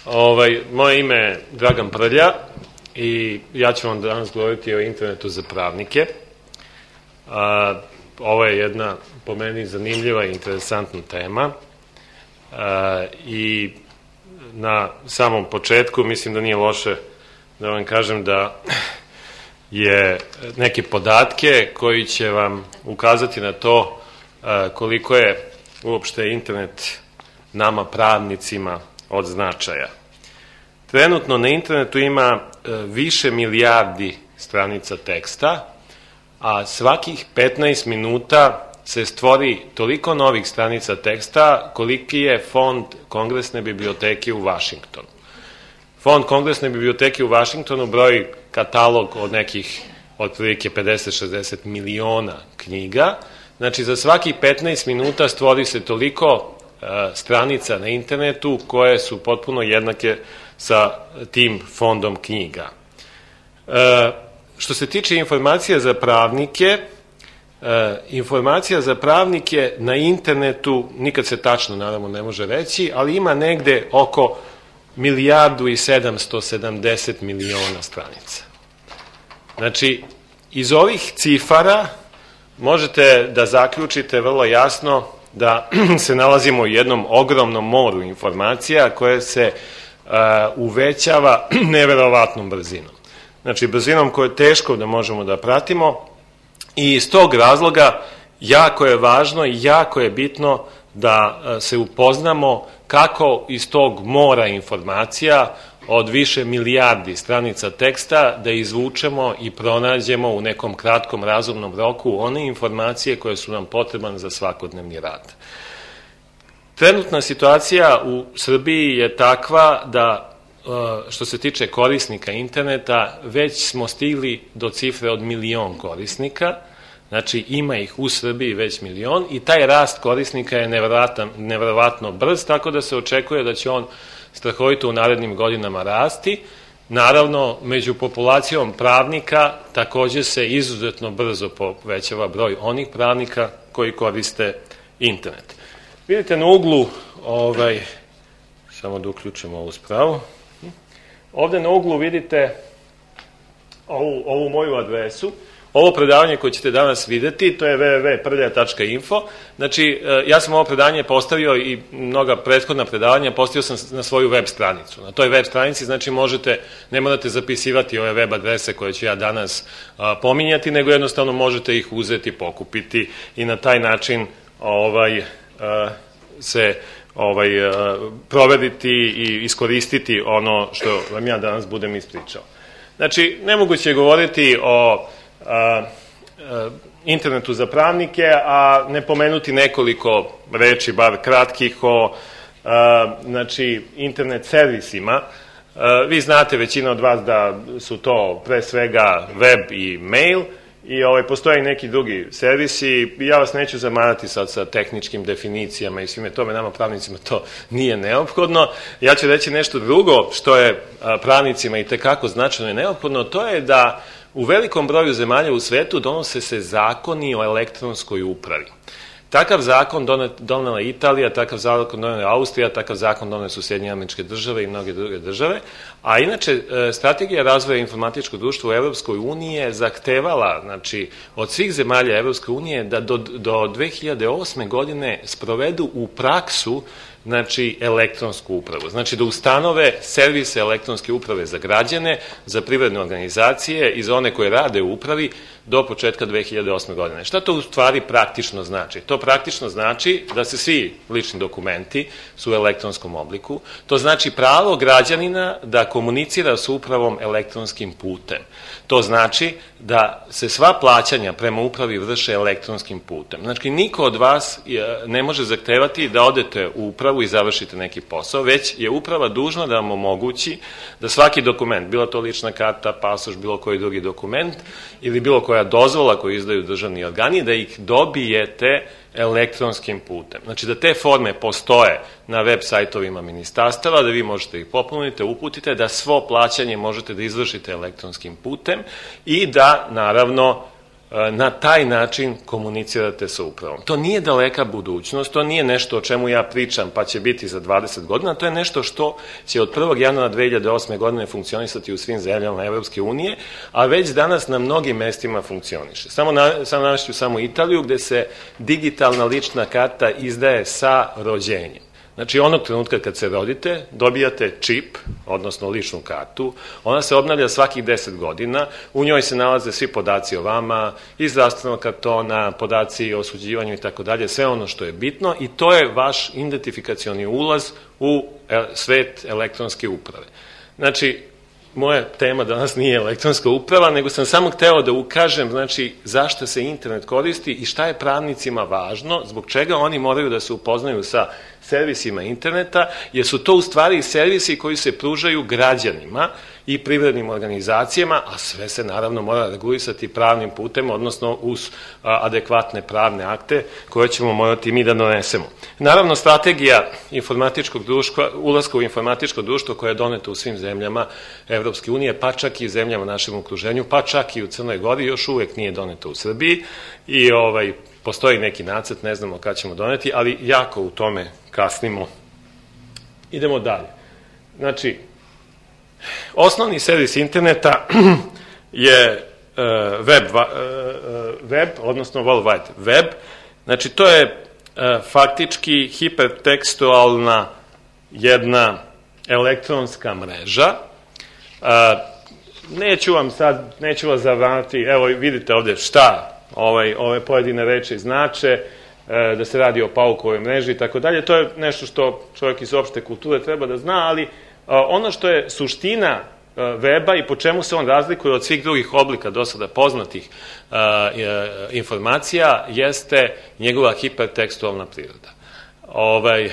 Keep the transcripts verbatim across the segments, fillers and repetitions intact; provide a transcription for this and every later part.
Ovaj, moje ime je Dragan Prlja i ja ću vam danas govoriti o internetu za pravnike. A, ovo je jedna, po meni, zanimljiva i interesantna tema. A, i na samom početku mislim da nije loše da vam kažem da je neke podatke koji će vam ukazati na to a, koliko je uopšte internet nama pravnicima od značaja. Trenutno na internetu ima više milijardi stranica teksta, a svakih petnaest minuta se stvori toliko novih stranica teksta koliki je fond Kongresne biblioteke u Vašingtonu. Fond Kongresne biblioteke u Vašingtonu broji katalog od nekih otprilike pedeset do šezdeset miliona knjiga. Znači, za svakih petnaest minuta stvori se toliko stranica na internetu koje su potpuno jednake sa tim fondom knjiga. E, što se tiče informacija za pravnike, e, informacija za pravnike na internetu nikad se tačno, naravno, ne može reći, ali ima negde oko milijardu i sedamsto sedamdeset miliona stranica. Znači, iz ovih cifara možete da zaključite vrlo jasno da se nalazimo u jednom ogromnom moru informacija koje se uh, uvećava neverovatnom brzinom. Znači, brzinom koju je teško da možemo da pratimo i iz tog razloga jako je važno i jako je bitno da uh, se upoznamo kako iz tog mora informacija od više milijardi stranica teksta da izvučemo i pronađemo u nekom kratkom razumnom roku one informacije koje su nam potrebne za svakodnevni rad. Trenutna situacija u Srbiji je takva da, što se tiče korisnika interneta, već smo stigli do cifre od milion korisnika, znači ima ih u Srbiji već milion i taj rast korisnika je neverovatno brz, tako da se očekuje da će on strahovito u narednim godinama rasti. Naravno, među populacijom pravnika takođe se izuzetno brzo povećava broj onih pravnika koji koriste internet. Vidite na uglu, ovaj, samo da uključimo ovu spravu, ovde na uglu vidite ovu, ovu moju adresu. Ovo predavanje koje ćete danas videti, to je w w w tačka prlja tačka info. Znači, ja sam ovo predavanje postavio i mnoga prethodna predavanja postavio sam na svoju web stranicu. Na toj web stranici, znači, možete, ne morate zapisivati ove web adrese koje ću ja danas a, pominjati, nego jednostavno možete ih uzeti, pokupiti i na taj način ovaj, a, se ovaj, a, proveriti i iskoristiti ono što vam ja danas budem ispričao. Znači, nemoguće je govoriti o A, a, internetu za pravnike, a ne pomenuti nekoliko reči, bar kratkih, o a, znači, internet servisima. A, vi znate, većina od vas, da su to pre svega web i mail i ovaj, postoje neki drugi servisi. Ja vas neću zamarati sad sa tehničkim definicijama i svime tome, nama pravnicima to nije neophodno. Ja ću reći nešto drugo što je a, pravnicima i tekako značajno i neophodno, to je da u velikom broju zemalja u svetu donose se zakoni o elektronskoj upravi. Takav zakon donela Italija, takav zakon donela Austrija, takav zakon donele su Sjedinjene Američke Države i mnoge druge države, a inače strategija razvoja informatičkog društva u Evropskoj uniji je zahtevala, znači, od svih zemalja Evropske unije da do, do dve hiljade osme godine sprovedu u praksu, znači, elektronsku upravu. Znači, da ustanove servise elektronske uprave za građane, za privredne organizacije i za one koje rade u upravi do početka dve hiljade osme godine. Šta to u stvari praktično znači? To praktično znači da se svi lični dokumenti su u elektronskom obliku. To znači pravo građanina da komunicira s upravom elektronskim putem. To znači da se sva plaćanja prema upravi vrše elektronskim putem. Znači, niko od vas ne može zahtevati da odete u upravu i završite neki posao, već je uprava dužna da vam omogući da svaki dokument, bilo to lična karta, pasoš, bilo koji drugi dokument ili bilo koja dozvola koju izdaju državni organi, da ih dobijete elektronskim putem. Znači, da te forme postoje na web sajtovima ministarstava, da vi možete ih popunite, uputite, da svo plaćanje možete da izvršite elektronskim putem i da, naravno, na taj način komunicirate sa upravom. To nije daleka budućnost, to nije nešto o čemu ja pričam pa će biti za dvadeset godina, to je nešto što će od prvog januara dve hiljade osme godine funkcionisati u svim zemljama Evropske unije, a već danas na mnogim mestima funkcioniše. Samo, na, samo navešću samo Italiju, gde se digitalna lična karta izdaje sa rođenjem. Znači, onog trenutka kad se rodite, dobijate čip, odnosno ličnu kartu, ona se obnavlja svakih deset godina, u njoj se nalaze svi podaci o vama, iz zdravstvenog kartona, podaci o osuđivanju i tako dalje, sve ono što je bitno i to je vaš identifikacioni ulaz u svet elektronske uprave. Znači, moja tema danas nije elektronska uprava, nego sam samo hteo da ukažem, znači, zašto se internet koristi i šta je pravnicima važno, zbog čega oni moraju da se upoznaju sa servisima interneta, jer su to u stvari servisi koji se pružaju građanima i privrednim organizacijama, a sve se naravno mora regulisati pravnim putem, odnosno uz adekvatne pravne akte koje ćemo morati mi da donesemo. Naravno, strategija informatičkog društva, ulaska u informatičko društvo koje je doneto u svim zemljama Evropske unije, pa čak i zemljama u našem okruženju, pa čak i u Crnoj Gori, još uvek nije doneto u Srbiji i ovaj, postoji neki nacrt, ne znamo kada ćemo doneti, ali jako u tome kasnimo. Idemo dalje. Znači, osnovni servis interneta je web, web, odnosno World Wide Web. Znači, to je faktički hipertekstualna jedna elektronska mreža. Neću vam sad, neću vas zavranati, evo vidite ovde šta Ovaj, ove pojedine reči znače, e, da se radi o paukovoj mreži i tako dalje. To je nešto što čovjek iz opšte kulture treba da zna, ali a, ono što je suština a, weba i po čemu se on razlikuje od svih drugih oblika do sada poznatih a, a, informacija jeste njegova hipertekstualna priroda. Ovaj,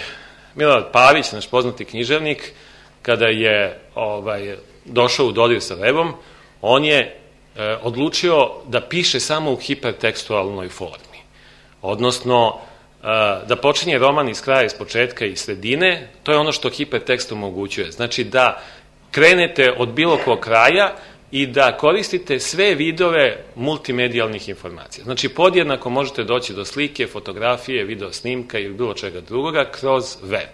Milorad Pavić, naš poznati književnik, kada je ovaj, došao u dodir sa webom, on je odlučio da piše samo u hipertekstualnoj formi. Odnosno, da počinje roman iz kraja, iz početka i sredine, to je ono što hipertekst omogućuje. Znači da krenete od bilo kog kraja i da koristite sve vidove multimedijalnih informacija. Znači, podjednako možete doći do slike, fotografije, video snimka ili bilo čega drugoga kroz web.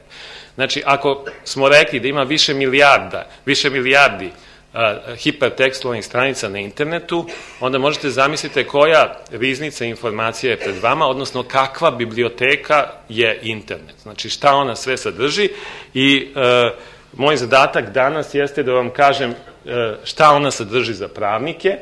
Znači, ako smo rekli da ima više milijarda, više milijardi hipertekstualnih stranica na internetu, onda možete zamisliti koja riznica informacija je pred vama, odnosno kakva biblioteka je internet. Znači šta ona sve sadrži i e, moj zadatak danas jeste da vam kažem e, šta ona sadrži za pravnike. E,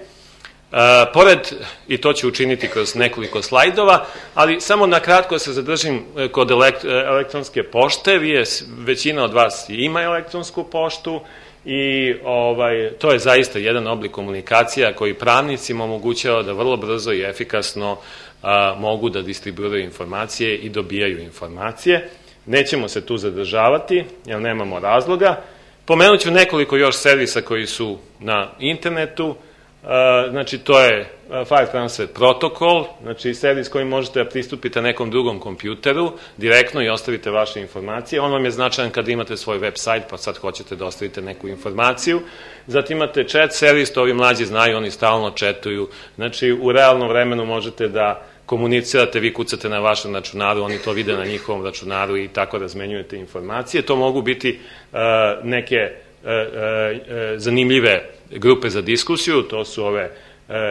pored, i to ću učiniti kroz nekoliko slajdova, ali samo na kratko se zadržim kod elekt, elektronske pošte. Vi je, većina od vas ima elektronsku poštu, i ovaj, to je zaista jedan oblik komunikacija koji pravnicima omogućava da vrlo brzo i efikasno a, mogu da distribuiraju informacije i dobijaju informacije. Nećemo se tu zadržavati, jer nemamo razloga. Pomenut ću nekoliko još servisa koji su na internetu. A, znači, to je File Transfer Protocol, znači servis koji možete da pristupite nekom drugom kompjuteru direktno i ostavite vaše informacije. On vam je značajan kada imate svoj web sajt, pa sad hoćete da ostavite neku informaciju. Zatim imate chat servis, to ovi mlađi znaju, oni stalno chatuju. Znači, u realnom vremenu možete da komunicirate, vi kucate na vašem računaru, oni to vide na njihovom računaru i tako razmenjujete informacije. To mogu biti uh, neke uh, uh, zanimljive grupe za diskusiju, to su ove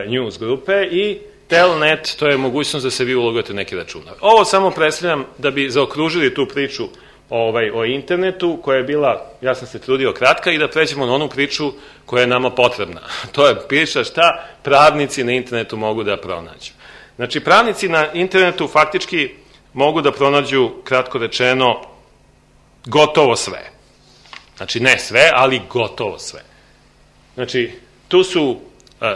news grupe, i Telnet, to je mogućnost da se vi ulogujete neki računar. Ovo samo predstavljam da bi zaokružili tu priču ovaj, o internetu, koja je bila, ja sam se trudio, kratka, i da pređemo na onu priču koja je nama potrebna. To je priča šta pravnici na internetu mogu da pronađu. Znači, pravnici na internetu faktički mogu da pronađu, kratko rečeno, gotovo sve. Znači, ne sve, ali gotovo sve. Znači, tu su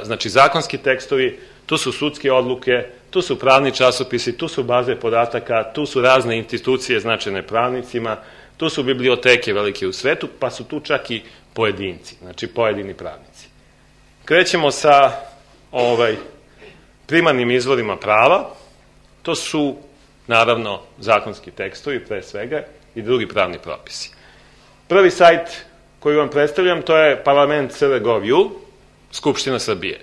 znači zakonski tekstovi, tu su sudske odluke, tu su pravni časopisi, tu su baze podataka, tu su razne institucije značajne pravnicima, tu su biblioteke velike u svetu, pa su tu čak i pojedinci, znači pojedini pravnici. Krećemo sa ovaj, primarnim izvorima prava. To su, naravno, zakonski tekstovi, pre svega, i drugi pravni propisi. Prvi sajt koji vam predstavljam, to je parlament punkt c r punkt gov punkt u, Skupština Srbije.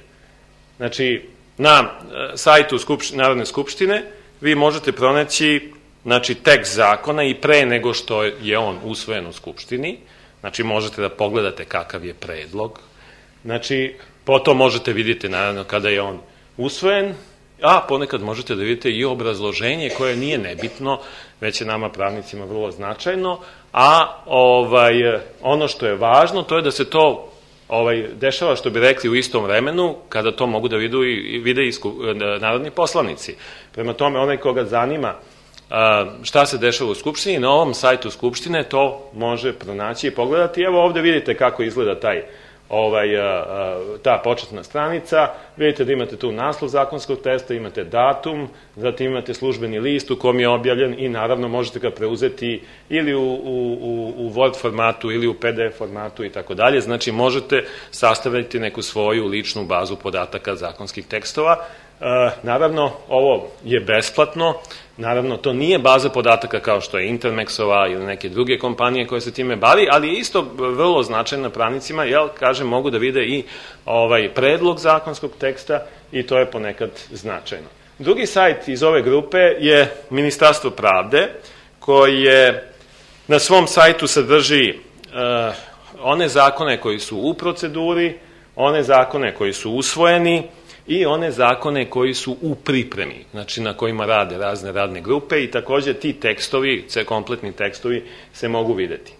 Znači, na sajtu Narodne skupštine vi možete pronaći, znači, tekst zakona i pre nego što je on usvojen u Skupštini, znači možete da pogledate kakav je predlog, znači potom možete vidjeti naravno kada je on usvojen, a ponekad možete da vidite i obrazloženje koje nije nebitno, već je nama pravnicima vrlo značajno, a ovaj, ono što je važno to je da se to ovaj, dešava, što bi rekli, u istom vremenu, kada to mogu da vidu i, vide i narodni poslanici. Prema tome, onaj koga zanima a, šta se dešava u Skupštini, na ovom sajtu Skupštine to može pronaći i pogledati. Evo ovde vidite kako izgleda taj Ovaj, a, a, ta početna stranica, vidite da imate tu naslov zakonskog teksta, imate datum, zatim imate službeni list u kom je objavljen i naravno možete ga preuzeti ili u, u, u Word formatu ili u P D F formatu i tako dalje, znači možete sastaviti neku svoju ličnu bazu podataka zakonskih tekstova. E, naravno, ovo je besplatno, naravno, to nije baza podataka kao što je Intermexova ili neke druge kompanije koje se time bavi, ali je isto vrlo značajna pravnicima, jel, kažem, mogu da vide i ovaj predlog zakonskog teksta i to je ponekad značajno. Drugi sajt iz ove grupe je Ministarstvo pravde, koje na svom sajtu sadrži uh, one zakone koji su u proceduri, one zakone koji su usvojeni, i one zakone koji su u pripremi, znači na kojima rade razne radne grupe i takođe ti tekstovi, kompletni tekstovi se mogu videti.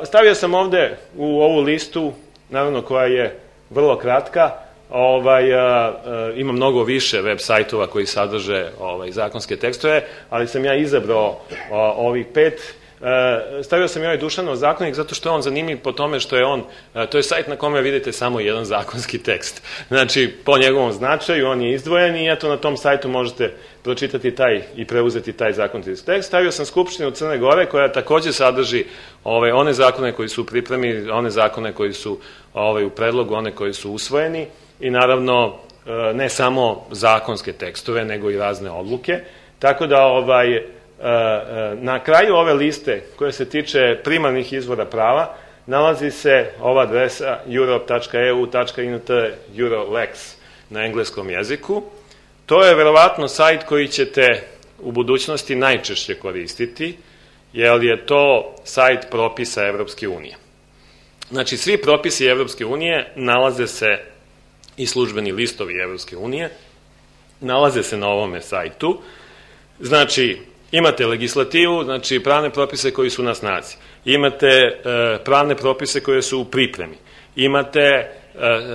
Stavio sam ovde u ovu listu, naravno koja je vrlo kratka, ovaj, a, a, ima mnogo više web sajtova koji sadrže ovaj, zakonske tekstove, ali sam ja izabrao a, ovih pet. E, stavio sam i ovaj Dušanov zakonik zato što je on zanimljiv po tome što je on, e, to je sajt na kome vidite samo jedan zakonski tekst. Znači, po njegovom značaju on je izdvojen i eto na tom sajtu možete pročitati taj i preuzeti taj zakonski tekst. Stavio sam Skupštinu Crne Gore koja takođe sadrži ove, one zakone koji su u pripremi, one zakone koji su ove, u predlogu, one koji su usvojeni i naravno e, ne samo zakonske tekstove nego i razne odluke. Tako da ovaj na kraju ove liste koja se tiče primarnih izvora prava nalazi se ova adresa europe tačka e u tačka in te Eurolex na engleskom jeziku. To je verovatno sajt koji ćete u budućnosti najčešće koristiti, jer je to sajt propisa Evropske unije. Znači, svi propisi Evropske unije nalaze se i službeni listovi Evropske unije, nalaze se na ovome sajtu. Znači, imate legislativu, znači pravne propise koji su na snazi, imate e, pravne propise koje su u pripremi, imate e,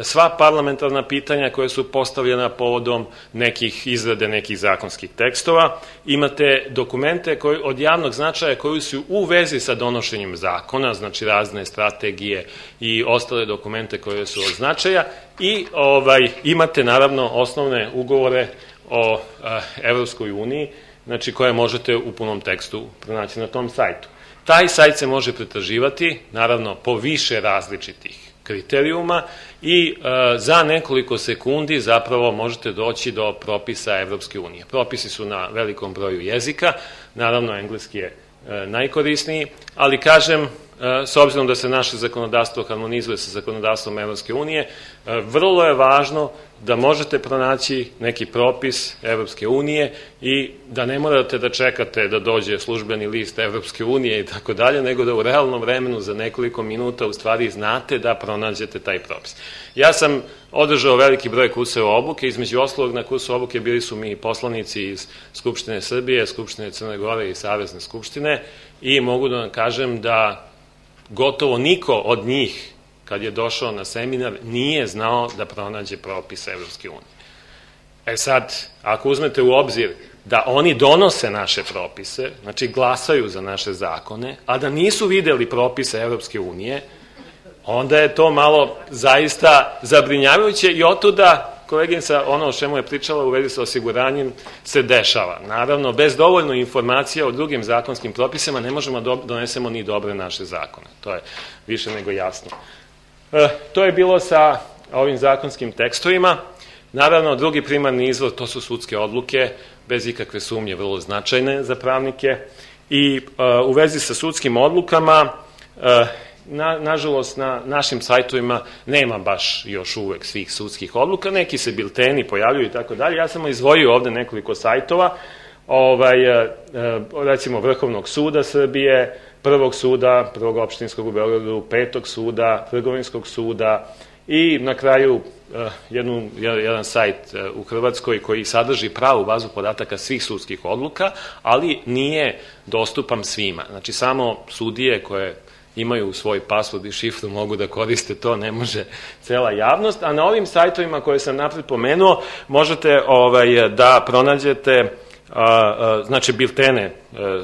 sva parlamentarna pitanja koje su postavljena povodom nekih izrade nekih zakonskih tekstova, imate dokumente koji, od javnog značaja koji su u vezi sa donošenjem zakona, znači razne strategije i ostale dokumente koje su od značaja i ovaj, imate naravno osnovne ugovore o e, Evropskoj uniji, znači koje možete u punom tekstu pronaći na tom sajtu. Taj sajt se može pretraživati, naravno, po više različitih kriterijuma i e, za nekoliko sekundi zapravo možete doći do propisa Evropske unije. Propisi su na velikom broju jezika, naravno engleski je e, najkorisniji, ali kažem, e, s obzirom da se naše zakonodavstvo harmonizuje sa zakonodavstvom Evropske unije, e, vrlo je važno da možete pronaći neki propis Evropske unije i da ne morate da čekate da dođe službeni list Evropske unije i tako dalje, nego da u realnom vremenu za nekoliko minuta u stvari znate da pronađete taj propis. Ja sam održao veliki broj kurseva obuke, između ostalog na kursu obuke bili su mi poslanici iz Skupštine Srbije, Skupštine Crne Gore i Savezne skupštine i mogu da vam kažem da gotovo niko od njih kad je došao na seminar, nije znao da pronađe propis Evropske unije. E sad, ako uzmete u obzir da oni donose naše propise, znači glasaju za naše zakone, a da nisu videli propise Evropske unije, onda je to malo zaista zabrinjavajuće i otuda koleginica ono o čemu je pričala u vezi sa osiguranjem se dešava. Naravno, bez dovoljno informacija o drugim zakonskim propisima ne možemo da donesemo ni dobre naše zakone. To je više nego jasno. E, to je bilo sa ovim zakonskim tekstovima. Naravno, drugi primarni izvor, to su sudske odluke, bez ikakve sumnje vrlo značajne za pravnike. I e, u vezi sa sudskim odlukama, e, na, nažalost na našim sajtovima nema baš još uvek svih sudskih odluka, neki se bilteni pojavljuju i tako dalje. Ja sam izdvojio ovde nekoliko sajtova, ovaj, recimo Vrhovnog suda Srbije, Prvog suda, Prvog opštinskog u Beogradu, Petog suda, Trgovinskog suda i na kraju jednu, jedan sajt u Hrvatskoj koji sadrži pravu bazu podataka svih sudskih odluka, ali nije dostupan svima. Znači, samo sudije koje imaju svoj password i šifru mogu da koriste to, ne može cela javnost, a na ovim sajtovima koje sam napred pomenuo možete ovaj, da pronađete znači biltene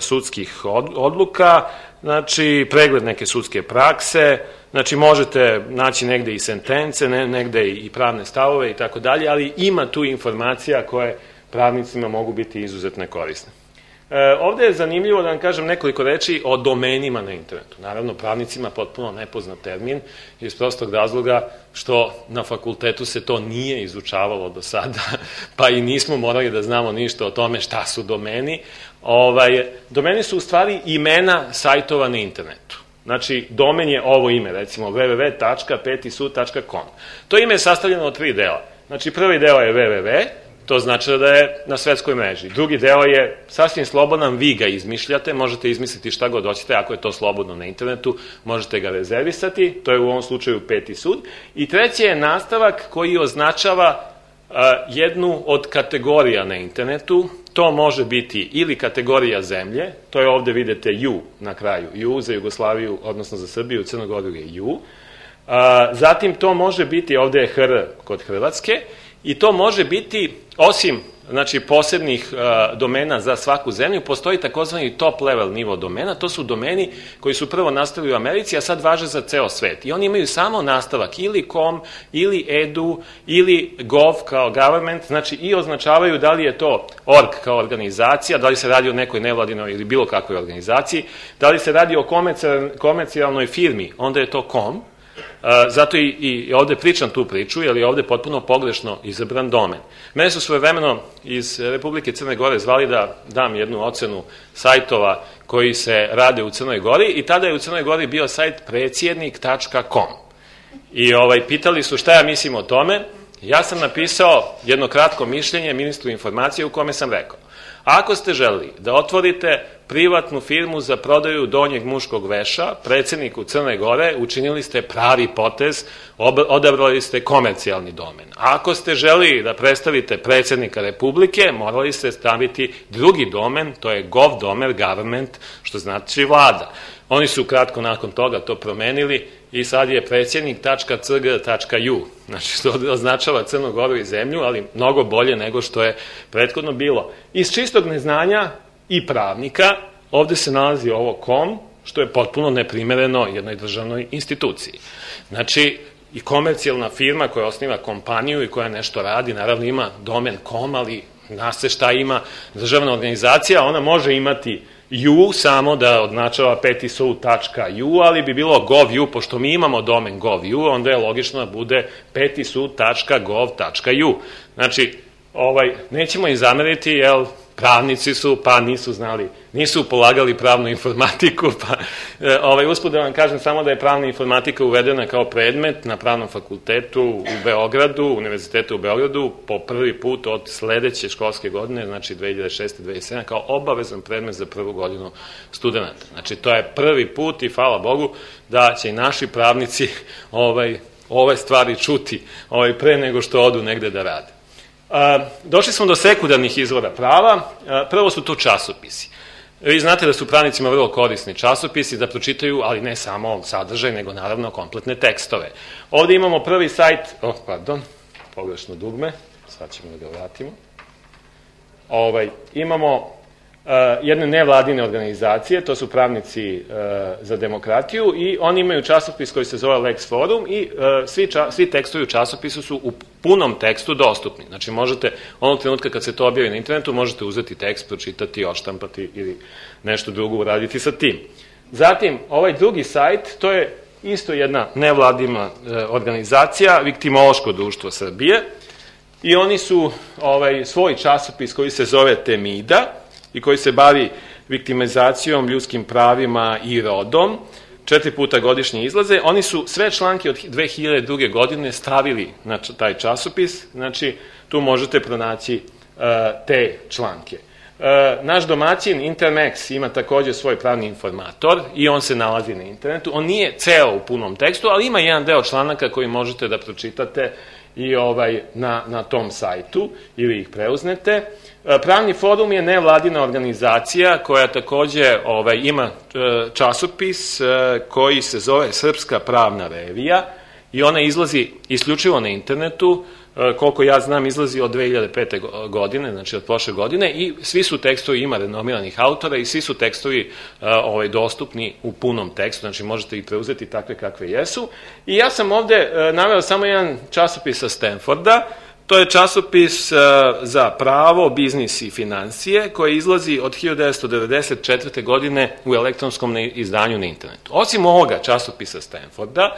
sudskih odluka, znači pregled neke sudske prakse, znači možete naći negde i sentence, negde i pravne stavove i tako dalje, ali ima tu informacija koje pravnicima mogu biti izuzetno korisne. Ovde je zanimljivo da vam kažem nekoliko reči o domenima na internetu. Naravno, pravnicima potpuno nepoznat termin iz prostog razloga što na fakultetu se to nije izučavalo do sada, pa i nismo morali da znamo ništa o tome šta su domeni. Ovaj, domeni su u stvari imena sajtova na internetu. Znači, domen je ovo ime, recimo w w w tačka peti sud tačka com. To ime je sastavljeno od tri dela. Znači, prvi deo je w w w, to znači da je na svetskoj mreži. Drugi deo je sasvim slobodan, vi ga izmišljate, možete izmisliti šta god hoćete, ako je to slobodno na internetu, možete ga rezervisati, to je u ovom slučaju Peti sud. I treći je nastavak koji označava jednu od kategorija na internetu, to može biti ili kategorija zemlje, to je ovde vidite ju na kraju, ju za Jugoslaviju, odnosno za Srbiju, Crnu Goru je ju, zatim to može biti, ovde je hr kod Hrvatske, i to može biti, osim znači, posebnih uh, domena za svaku zemlju, postoji takozvani top level nivo domena, to su domeni koji su prvo nastali u Americi, a sad važe za ceo svet. I oni imaju samo nastavak ili com, ili edu, ili gov kao government, znači i označavaju da li je to org kao organizacija, da li se radi o nekoj nevladinoj ili bilo kakvoj organizaciji, da li se radi o komercijalnoj firmi, onda je to com. Zato i, i ovde pričam tu priču, jer je ovde potpuno pogrešno izabran domen. Mene su svojevremeno iz Republike Crne Gore zvali da dam jednu ocenu sajtova koji se rade u Crnoj Gori i tada je u Crnoj Gori bio sajt predsjednik tačka com. I ovaj, pitali su šta ja mislim o tome. Ja sam napisao jedno kratko mišljenje ministru informacije u kome sam rekao: ako ste želeli da otvorite privatnu firmu za prodaju donjeg muškog veša predsedniku Crne Gore, učinili ste pravi potez, odabrali ste komercijalni domen. Ako ste želeli da predstavite predsednika Republike, morali ste staviti drugi domen, to je gov domen, government, što znači vlada. Oni su kratko nakon toga to promenili i sad je predsjednik tačka c g tačka u, znači što označava Crnu Goru i zemlju, ali mnogo bolje nego što je prethodno bilo. Iz čistog neznanja i pravnika ovde se nalazi ovo com, što je potpuno neprimereno jednoj državnoj instituciji. Znači, i komercijalna firma koja osniva kompaniju i koja nešto radi, naravno ima domen com, ali zna se šta ima državna organizacija, ona može imati ju samo da označava peti sud tačka u, ali bi bilo gov.u, pošto mi imamo domen gov.u, onda je logično da bude peti sud tačka gov tačka u. Znači, ovaj, nećemo im zameriti, jer pravnici su, pa nisu znali, nisu polagali pravnu informatiku, pa ovaj, usput da vam kažem samo da je pravna informatika uvedena kao predmet na pravnom fakultetu u Beogradu, Univerzitetu u Beogradu, po prvi put od sledeće školske godine, znači dve hiljade šeste dve hiljade sedme, kao obavezan predmet za prvu godinu studenta. Znači, to je prvi put i hvala Bogu da će i naši pravnici ovaj, ove stvari čuti ovaj, pre nego što odu negde da rade. Došli smo do sekundarnih izvora prava. Prvo su to časopisi. Vi znate da su pravnicima vrlo korisni časopisi da pročitaju, ali ne samo sadržaj, nego naravno kompletne tekstove. Ovde imamo prvi sajt, oh, pardon, pogrešno dugme, sad ćemo da ga vratimo. Ovaj, imamo jedne nevladine organizacije, to su pravnici za demokratiju i oni imaju časopis koji se zove Lex Forum i svi, svi tekstovi u časopisu su u punom tekstu dostupni. Znači možete, onog trenutka kad se to objavi na internetu, možete uzeti tekst, pročitati, oštampati ili nešto drugo uraditi sa tim. Zatim, ovaj drugi sajt, to je isto jedna nevladina organizacija, Viktimološko društvo Srbije, i oni su ovaj, svoj časopis koji se zove Temida i koji se bavi viktimizacijom, ljudskim pravima i rodom, četiri puta godišnje izlaze. Oni su sve članke od dve hiljade druge. godine stavili na taj časopis, znači tu možete pronaći uh, te članke. Uh, naš domaćin Intermex ima takođe svoj pravni informator i on se nalazi na internetu. On nije ceo u punom tekstu, ali ima jedan deo članaka koji možete da pročitate i ovaj na, na tom sajtu ili ih preuznete. Pravni forum je nevladina organizacija koja takođe ovaj, ima časopis koji se zove Srpska pravna revija i ona izlazi isključivo na internetu, koliko ja znam izlazi od dve hiljade pete. godine, znači od prošle godine, i svi su tekstovi, ima renomiranih autora i svi su tekstovi ovaj, dostupni u punom tekstu, znači možete ih preuzeti takve kakve jesu. I ja sam ovde naveo samo jedan časopis sa Stanforda. To je časopis za pravo, biznis i financije koji izlazi od hiljadu devetsto devedeset četvrte. godine u elektronskom izdanju na internetu. Osim ovoga časopisa Stanforda,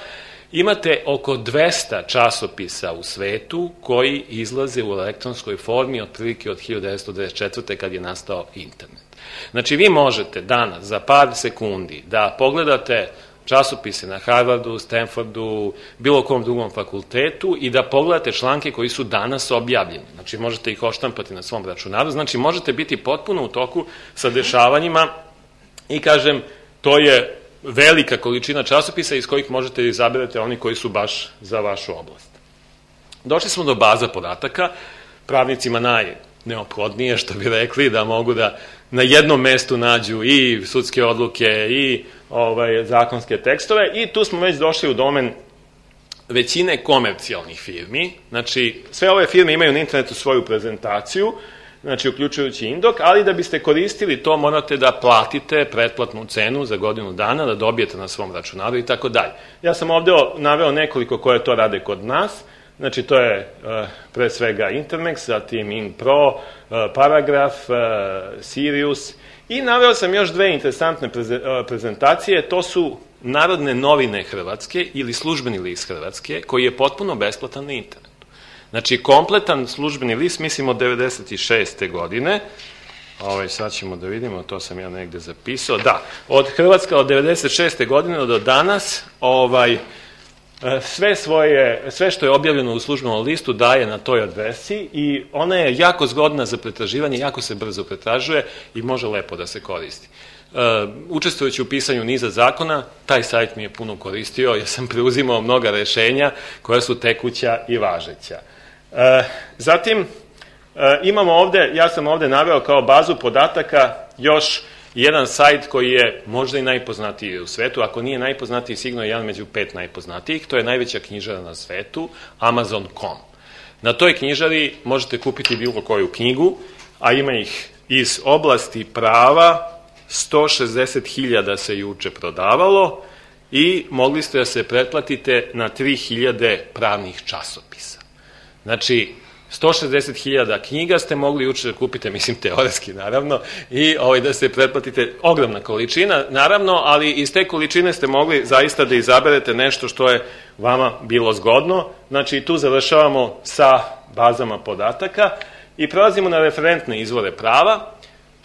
imate oko dvesta časopisa u svetu koji izlaze u elektronskoj formi otprilike od hiljadu devetsto devedeset četvrte. kad je nastao internet. Znači, vi možete danas za par sekundi da pogledate časopise na Harvardu, Stanfordu, bilo kom drugom fakultetu i da pogledate članke koji su danas objavljeni. Znači, možete ih oštampati na svom računaru, znači možete biti potpuno u toku sa dešavanjima i, kažem, to je velika količina časopisa iz kojih možete izaberati oni koji su baš za vašu oblast. Došli smo do baza podataka, pravnicima najneophodnije, što bi rekli, da mogu da na jednom mestu nađu i sudske odluke i ovaj, zakonske tekstove, i tu smo već došli u domen većine komercijalnih firmi. Znači, sve ove firme imaju na internetu svoju prezentaciju, znači uključujući Indok, ali da biste koristili to morate da platite pretplatnu cenu za godinu dana, da dobijete na svom računaru i tako dalje. Ja sam ovde naveo nekoliko koje to rade kod nas, znači to je uh, pre svega Intermex, zatim InPro, uh, Paragraf, uh, Sirius, i naveo sam još dve interesantne preze, uh, prezentacije, to su Narodne novine Hrvatske ili službeni list Hrvatske, koji je potpuno besplatan na internetu. Znači, kompletan službeni list, mislim od devedeset šeste. godine, ovaj, sad ćemo da vidimo, to sam ja negde zapisao, da, od Hrvatska od devedeset šeste. godine do danas, ovaj, sve svoje, sve što je objavljeno u službenom listu daje na toj adresi i ona je jako zgodna za pretraživanje, jako se brzo pretražuje i može lepo da se koristi. Uh, učestvujući u pisanju niza zakona, taj sajt mi je puno koristio, ja sam preuzimao mnoga rešenja koja su tekuća i važeća. Uh, zatim, uh, imamo ovde, ja sam ovde naveo kao bazu podataka još jedan sajt koji je možda i najpoznatiji u svetu, ako nije najpoznatiji, sigurno je jedan među pet najpoznatijih, to je najveća knjižara na svetu, Amazon dot com. Na toj knjižari možete kupiti bilo koju knjigu, a ima ih iz oblasti prava, sto šezdeset hiljada se juče prodavalo i mogli ste da se pretplatite na tri hiljade pravnih časopisa. Znači, sto šezdeset hiljada knjiga ste mogli juče da kupite, mislim teoretski naravno, i ovaj, da se pretplatite, ogromna količina naravno, ali iz te količine ste mogli zaista da izaberete nešto što je vama bilo zgodno. Znači, tu završavamo sa bazama podataka i prelazimo na referentne izvore prava.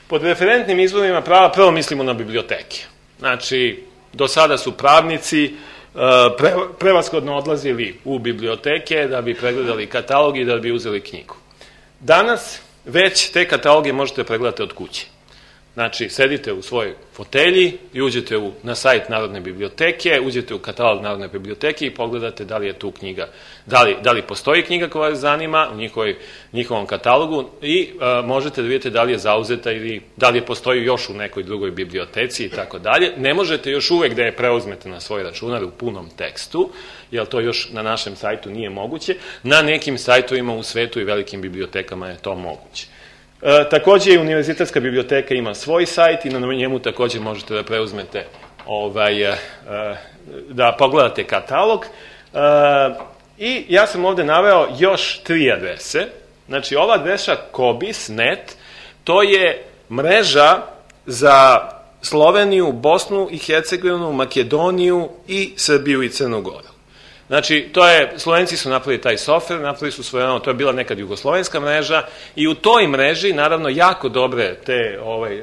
Pod referentnim izvorima prava prvo mislimo na biblioteke. Znači, do sada su pravnici pre, prevashodno odlazili u biblioteke da bi pregledali katalog i da bi uzeli knjigu. Danas već te kataloge možete pregledati od kuće. Znači, sedite u svojoj fotelji i uđete u, na sajt Narodne biblioteke, uđete u katalog Narodne biblioteke i pogledate da li je tu knjiga, da li, da li postoji knjiga koja vas zanima u njihovoj, njihovom katalogu i a, možete da vidite da li je zauzeta ili da li je postoji još u nekoj drugoj biblioteci i tako dalje. Ne možete još uvek da je preuzmete na svoj računar u punom tekstu, jer to još na našem sajtu nije moguće. Na nekim sajtovima u svetu i velikim bibliotekama je to moguće. E, takođe i Univerzitetska biblioteka ima svoj sajt i na njemu takođe možete da preuzmete ovaj, e, da pogledate katalog. E, I ja sam ovde naveo još tri adrese. Znači, ova adresa Kobis punkt net, to je mreža za Sloveniju, Bosnu i Hercegovinu, Makedoniju i Srbiju i Crnu Goru. Znači, to je, Slovenci su napravili taj softver, napravili su svoje, ono, to je bila nekad jugoslovenska mreža i u toj mreži, naravno, jako dobre te, ovaj,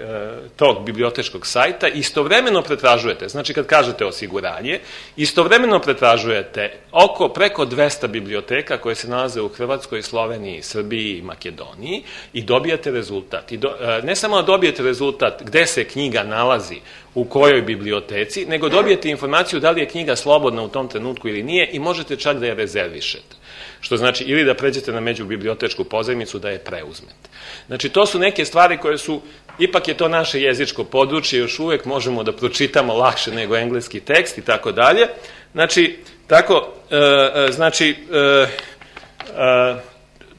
tog bibliotečkog sajta, istovremeno pretražujete, znači kad kažete osiguranje, istovremeno pretražujete oko preko dvesta biblioteka koje se nalaze u Hrvatskoj, Sloveniji, Srbiji i Makedoniji i dobijate rezultat. I do, ne samo da dobijete rezultat gde se knjiga nalazi, u kojoj biblioteci, nego dobijete informaciju da li je knjiga slobodna u tom trenutku ili nije i možete čak da je rezervišete. Što znači ili da pređete na međubibliotečku pozajmicu da je preuzmete. Znači, to su neke stvari koje su, ipak je to naše jezičko područje, još uvek možemo da pročitamo lakše nego engleski tekst i tako dalje. Znači, tako, e, znači, e, e,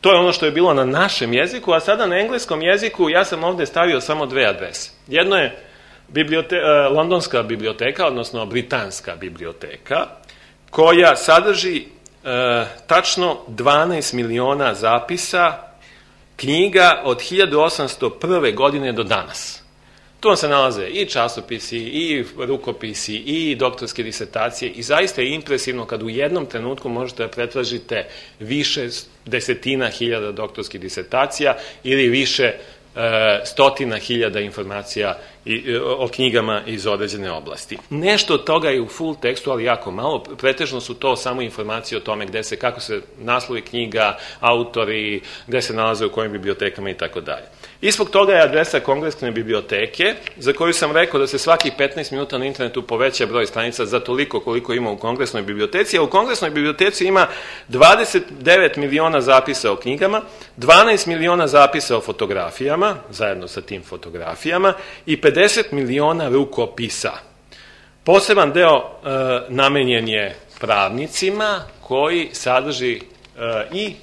to je ono što je bilo na našem jeziku, a sada na engleskom jeziku ja sam ovde stavio samo dve adrese. Jedno je Bibliote, uh, Londonska biblioteka, odnosno Britanska biblioteka, koja sadrži uh, tačno dvanaest miliona zapisa knjiga od hiljadu osamsto prve. godine do danas. Tu vam se nalaze i časopisi, i rukopisi, i doktorske disertacije i zaista je impresivno kad u jednom trenutku možete da pretražite više desetina hiljada doktorskih disertacija ili više stotina hiljada informacija o knjigama iz određene oblasti. Nešto od toga je u full tekstu, ali jako malo. Pretežno su to samo informacije o tome gde se, kako se naslovi knjiga, autori, gde se nalaze u kojim bibliotekama i tako dalje. Ispod toga je adresa Kongresne biblioteke, za koju sam rekao da se svakih petnaest minuta na internetu poveća broj stranica za toliko koliko ima u Kongresnoj biblioteci, a u Kongresnoj biblioteci ima dvadeset devet miliona zapisa o knjigama, dvanaest miliona zapisa o fotografijama, zajedno sa tim fotografijama, i pedeset miliona rukopisa. Poseban deo e, namenjen je pravnicima koji sadrži e, i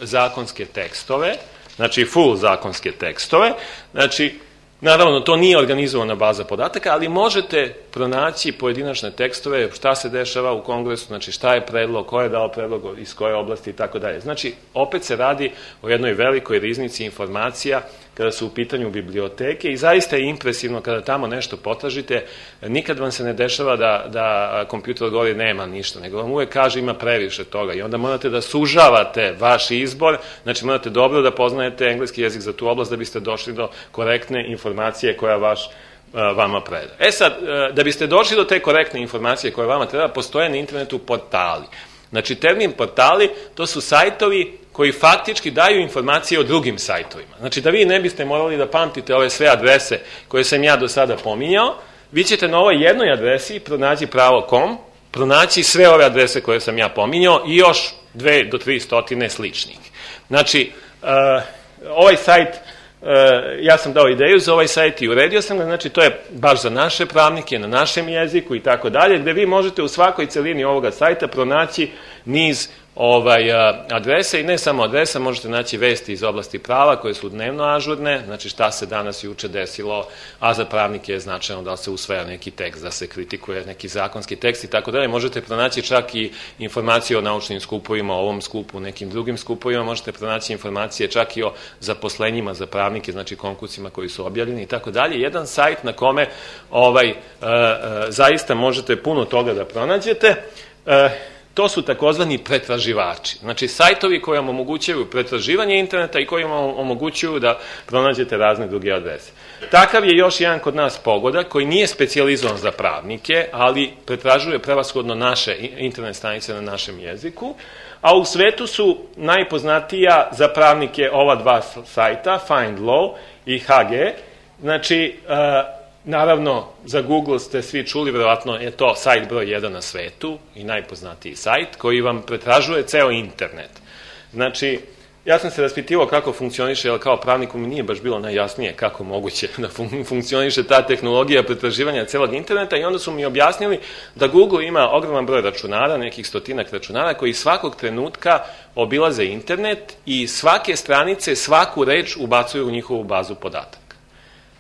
zakonske tekstove, znači full zakonske tekstove, znači naravno to nije organizovana baza podataka, ali možete pronaći pojedinačne tekstove, šta se dešava u Kongresu, znači šta je predlog, ko je dao predlog, iz koje oblasti i tako dalje. Znači, opet se radi o jednoj velikoj riznici informacija kada su u pitanju biblioteke i zaista je impresivno kada tamo nešto potražite, nikad vam se ne dešava da, da kompjuter odgovori nema ništa, nego vam uvek kaže ima previše toga i onda morate da sužavate vaš izbor, znači morate dobro da poznajete engleski jezik za tu oblast da biste došli do korektne informacije koja vaš vama preda. E sad, da biste došli do te korektne informacije koje vama treba, postoje na internetu portali. Znači, termin portali, to su sajtovi koji faktički daju informacije o drugim sajtovima. Znači, da vi ne biste morali da pamtite ove sve adrese koje sam ja do sada pominjao, vi ćete na ovoj jednoj adresi pronaći pravo точка com, pronaći sve ove adrese koje sam ja pominjao i još dve do tri stotine sličnih. Znači, uh, ovaj sajt, uh, ja sam dao ideju za ovaj sajt i uredio sam ga, znači to je baš za naše pravnike, na našem jeziku i tako dalje, gde vi možete u svakoj celini ovoga sajta pronaći niz ovaj, adrese i ne samo adresa, možete naći vesti iz oblasti prava koje su dnevno ažurne, znači šta se danas juče desilo, a za pravnike je značajno da se usvaja neki tekst, da se kritikuje neki zakonski tekst i tako dalje. Možete pronaći čak i informacije o naučnim skupovima, o ovom skupu, nekim drugim skupovima, možete pronaći informacije čak i o zaposlenjima za pravnike, znači konkursima koji su objavljeni i tako dalje. Jedan sajt na kome ovaj, zaista možete puno toga da pronađete. To su takozvani pretraživači. Znači, sajtovi koji vam omogućuju pretraživanje interneta i koji vam omogućuju da pronađete razne druge adrese. Takav je još jedan kod nas pogodak koji nije specijalizovan za pravnike, ali pretražuje prevashodno naše internet stranice na našem jeziku, a u svetu su najpoznatija za pravnike ova dva sajta, FindLaw i H G. Znači, naravno, za Google ste svi čuli, verovatno je to sajt broj jedan na svetu i najpoznatiji sajt koji vam pretražuje ceo internet. Znači, ja sam se raspitivao kako funkcioniše, ali kao pravniku mi nije baš bilo najjasnije kako moguće da fun funkcioniše ta tehnologija pretraživanja celog interneta i onda su mi objasnili da Google ima ogroman broj računara, nekih stotinak računara koji svakog trenutka obilaze internet i svake stranice, svaku reč ubacuju u njihovu bazu podataka.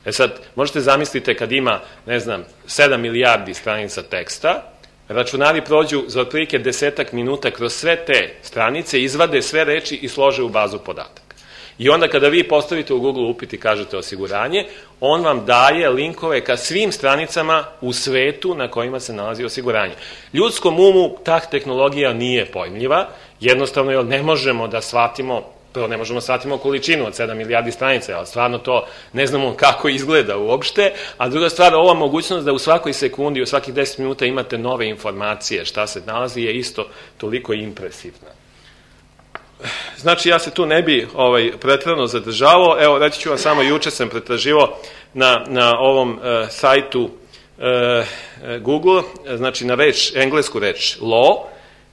E sad, možete zamislite kad ima, ne znam, sedam milijardi stranica teksta, računari prođu za otprilike desetak minuta kroz sve te stranice, izvade sve reči i slože u bazu podataka. I onda kada vi postavite u Google upit i kažete osiguranje, on vam daje linkove ka svim stranicama u svetu na kojima se nalazi osiguranje. Ljudskom umu ta tehnologija nije pojmljiva, jednostavno jer ne možemo da shvatimo, prvo ne možemo da shvatimo količinu od sedam milijardi stranica, ali stvarno to ne znamo kako izgleda uopšte, a druga stvar, ova mogućnost da u svakoj sekundi, u svakih deset minuta imate nove informacije šta se nalazi je isto toliko impresivna. Znači, ja se tu ne bi ovaj, pretrano zadržavao. Evo, reći ću vam samo, juče sam pretraživao na, na ovom uh, sajtu uh, Google, znači na reč, englesku reč law,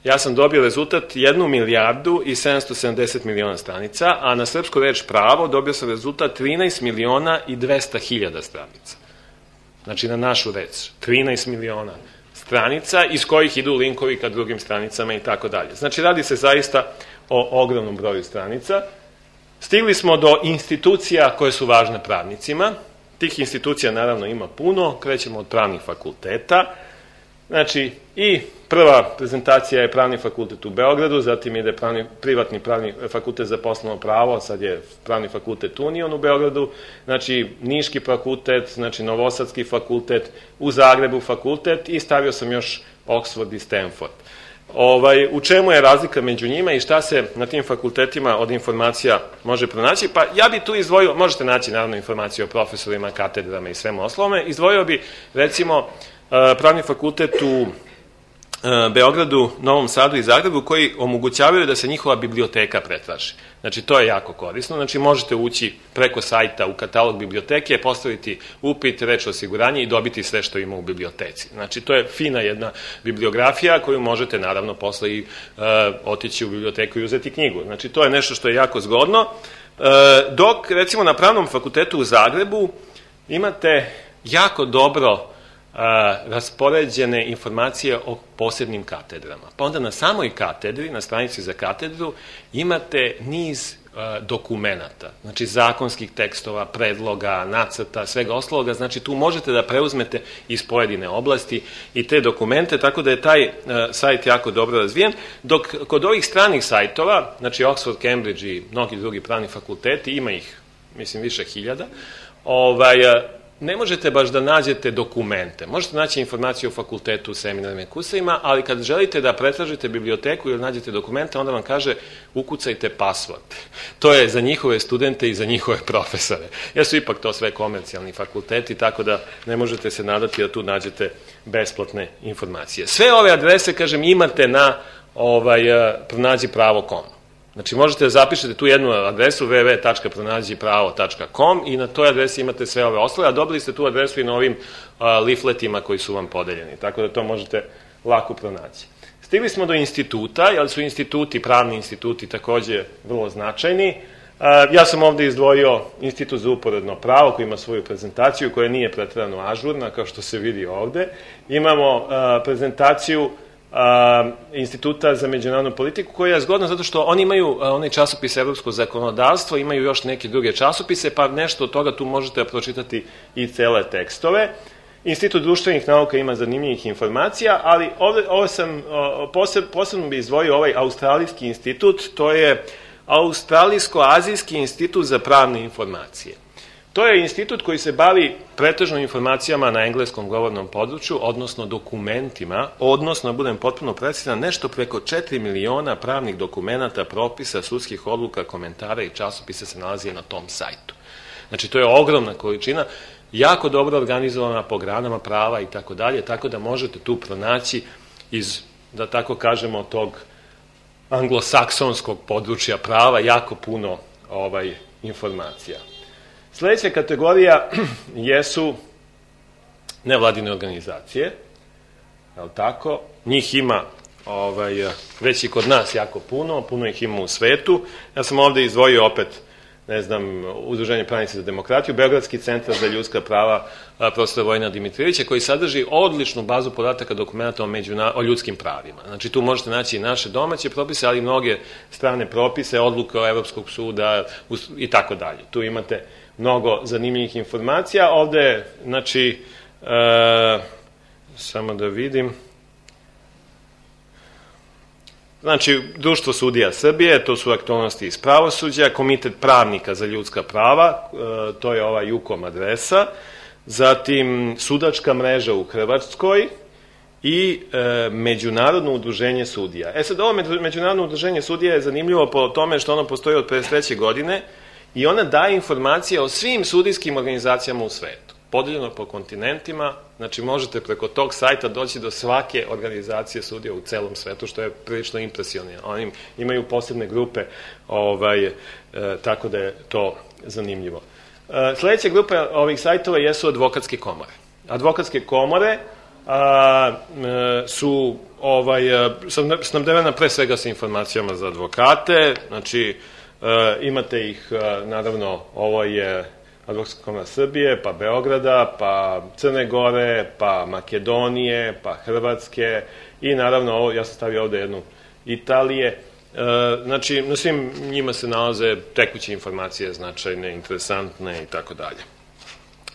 ja sam dobio rezultat jednu milijardu i sedamsto sedamdeset miliona stranica, a na srpsku reč pravo dobio sam rezultat trinaest miliona i dvesta hiljada stranica. Znači, na našu reč, trinaest miliona stranica, iz kojih idu linkovi ka drugim stranicama i tako dalje. Znači, radi se zaista o ogromnom broju stranica. Stigli smo do institucija koje su važne pravnicima. Tih institucija naravno ima puno, krećemo od pravnih fakulteta. Znači, i prva prezentacija je Pravni fakultet u Beogradu, zatim ide pravni, privatni pravni fakultet za poslovno pravo, sad je Pravni fakultet Union u Beogradu, znači Niški fakultet, znači Novosadski fakultet, u Zagrebu fakultet i stavio sam još Oxford i Stanford. Ovaj, u čemu je razlika među njima i šta se na tim fakultetima od informacija može pronaći? Pa ja bi tu izdvojio, možete naći naravno informacije o profesorima, katedrama i svemu oslome, izdvojio bi recimo Pravni fakultet u Beogradu, Novom Sadu i Zagrebu koji omogućavaju da se njihova biblioteka pretraži. Znači, to je jako korisno. Znači, možete ući preko sajta u katalog biblioteke, postaviti upit, reč osiguranje i dobiti sve što ima u biblioteci. Znači, to je fina jedna bibliografija koju možete, naravno, posle i uh, otići u biblioteku i uzeti knjigu. Znači, to je nešto što je jako zgodno. Uh, dok, recimo, na Pravnom fakultetu u Zagrebu imate jako dobro raspoređene informacije o posebnim katedrama. Pa onda na samoj katedri, na stranici za katedru, imate niz dokumenata, znači zakonskih tekstova, predloga, nacrta, svega ostaloga, znači tu možete da preuzmete iz pojedine oblasti i te dokumente, tako da je taj sajt jako dobro razvijen, dok kod ovih stranih sajtova, znači Oxford, Cambridge i mnogi drugi pravni fakulteti, ima ih, mislim, više hiljada, ovaj, ne možete baš da nađete dokumente. Možete naći informaciju o fakultetu, seminarima i kursevima, ali kad želite da pretražite biblioteku ili nađete dokumente, onda vam kaže ukucajte password. To je za njihove studente i za njihove profesore. Jer su ipak to sve komercijalni fakulteti, tako da ne možete se nadati da tu nađete besplatne informacije. Sve ove adrese, kažem, imate na ovaj, pronađi pravo tačka com. Znači, možete da zapišete tu jednu adresu w w w tačka pronađi pravo tačka com i na toj adresi imate sve ove ostale, a dobili ste tu adresu i na ovim uh, leafletima koji su vam podeljeni, tako da to možete lako pronaći. Stigli smo do instituta, jer su instituti, pravni instituti takođe vrlo značajni. Uh, ja sam ovde izdvojio Institut za uporedno pravo koji ima svoju prezentaciju koja nije preterano ažurna, kao što se vidi ovde. Imamo uh, prezentaciju Uh, Instituta za međunarodnu politiku, koja je zgodna zato što oni imaju uh, onaj časopis Evropsko zakonodavstvo, imaju još neke druge časopise, pa nešto od toga tu možete pročitati i cele tekstove. Institut društvenih nauka ima zanimljivih informacija, ali ovde, ovo sam, uh, poseb, posebno bi izdvojio ovaj Australijski institut, to je Australijsko-azijski institut za pravne informacije. To je institut koji se bavi pretežno informacijama na engleskom govornom području, odnosno dokumentima, odnosno, budem potpuno precizan, nešto preko četiri miliona pravnih dokumenata, propisa, sudskih odluka, komentara i časopisa se nalazi na tom sajtu. Znači, to je ogromna količina, jako dobro organizovana po granama prava i tako dalje, tako da možete tu pronaći iz, da tako kažemo, tog anglosaksonskog područja prava jako puno ovaj, informacija. Sledeća kategorija jesu nevladine organizacije, je li tako? Njih ima ovaj, već i kod nas jako puno, puno ih ima u svetu. Ja sam ovde izdvojio opet, ne znam, Udruženje pravnici za demokratiju, Beogradski centar za ljudska prava profesora Vojina Dimitrijevića, koji sadrži odličnu bazu podataka dokumenta o, međuna, o ljudskim pravima. Znači, tu možete naći i naše domaće propise, ali i mnoge strane propise, odluke o Evropskog suda i tako dalje. Tu imate mnogo zanimljivih informacija. Ovde, znači, e, samo da vidim, Znači, Društvo sudija Srbije, to su aktualnosti iz pravosuđa, Komitet pravnika za ljudska prava, to je ova Jukom adresa, zatim Sudačka mreža u Hrvatskoj i e, Međunarodno udruženje sudija. E sad, ovo Međunarodno udruženje sudija je zanimljivo po tome što ono postoji od pedeset treće godine i ona daje informacije o svim sudijskim organizacijama u svetu, podeljeno po kontinentima, znači možete preko tog sajta doći do svake organizacije sudija u celom svetu, što je prilično impresivno. Oni imaju posebne grupe, ovaj, e, tako da je to zanimljivo. E, sledeća grupa ovih sajtova jesu advokatske komore. Advokatske komore a, e, su ovaj, snabdevena pre svega sa informacijama za advokate, znači e, imate ih, e, naravno, ovo je Advokatska komora Srbije, pa Beograda, pa Crne Gore, pa Makedonije, pa Hrvatske i naravno, ovo, ja sam stavio ovde jednu Italije. E, znači, na svim njima se nalaze tekuće informacije, značajne, interesantne i tako dalje.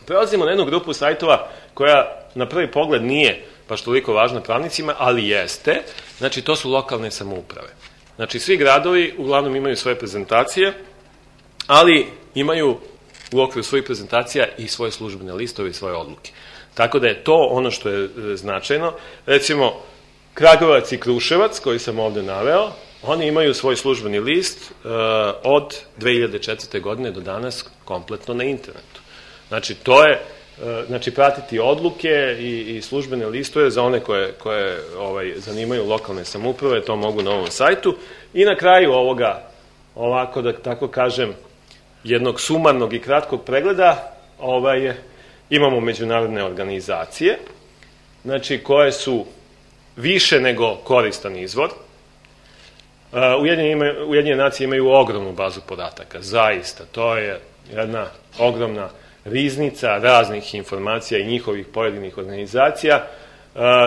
Prelazimo na jednu grupu sajtova koja na prvi pogled nije baš toliko važna pravnicima, ali jeste. Znači, to su lokalne samouprave. Znači, svi gradovi uglavnom imaju svoje prezentacije, ali imaju u okviru svojih prezentacija i svoje službene listove i svoje odluke. Tako da je to ono što je značajno. Recimo, Kragujevac i Kruševac, koji sam ovde naveo, oni imaju svoj službeni list uh, od dve hiljade četvrte. godine do danas kompletno na internetu. Znači, to je, uh, znači, pratiti odluke i, i službene listove za one koje, koje ovaj, zanimaju lokalne samouprave, to mogu na ovom sajtu. I na kraju ovoga, ovako da tako kažem, jednog sumarnog i kratkog pregleda, ovaj, imamo međunarodne organizacije, znači koje su više nego koristan izvor. Ujedinjene, Ujedinjene nacije imaju ogromnu bazu podataka, zaista, to je jedna ogromna riznica raznih informacija i njihovih pojedinih organizacija.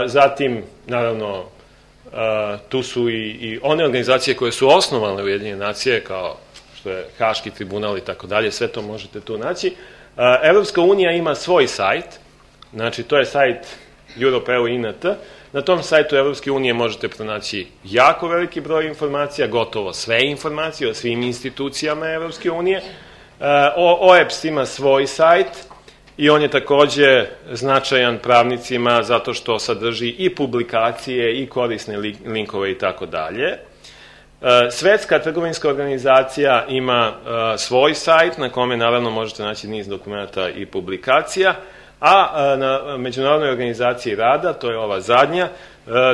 Zatim, naravno, tu su i, i one organizacije koje su osnovane Ujedinjene nacije, kao što je Haški tribunal i tako dalje, sve to možete tu naći. Evropska unija ima svoj sajt, znači to je sajt Europe punto e u punto i n t. Na tom sajtu Evropske unije možete pronaći jako veliki broj informacija, gotovo sve informacije o svim institucijama Evropske unije. O E B S ima svoj sajt i on je takođe značajan pravnicima zato što sadrži i publikacije i korisne linkove i tako dalje. Svetska trgovinska organizacija ima svoj sajt na kome naravno možete naći niz dokumenta i publikacija, a na Međunarodnoj organizaciji rada, to je ova zadnja,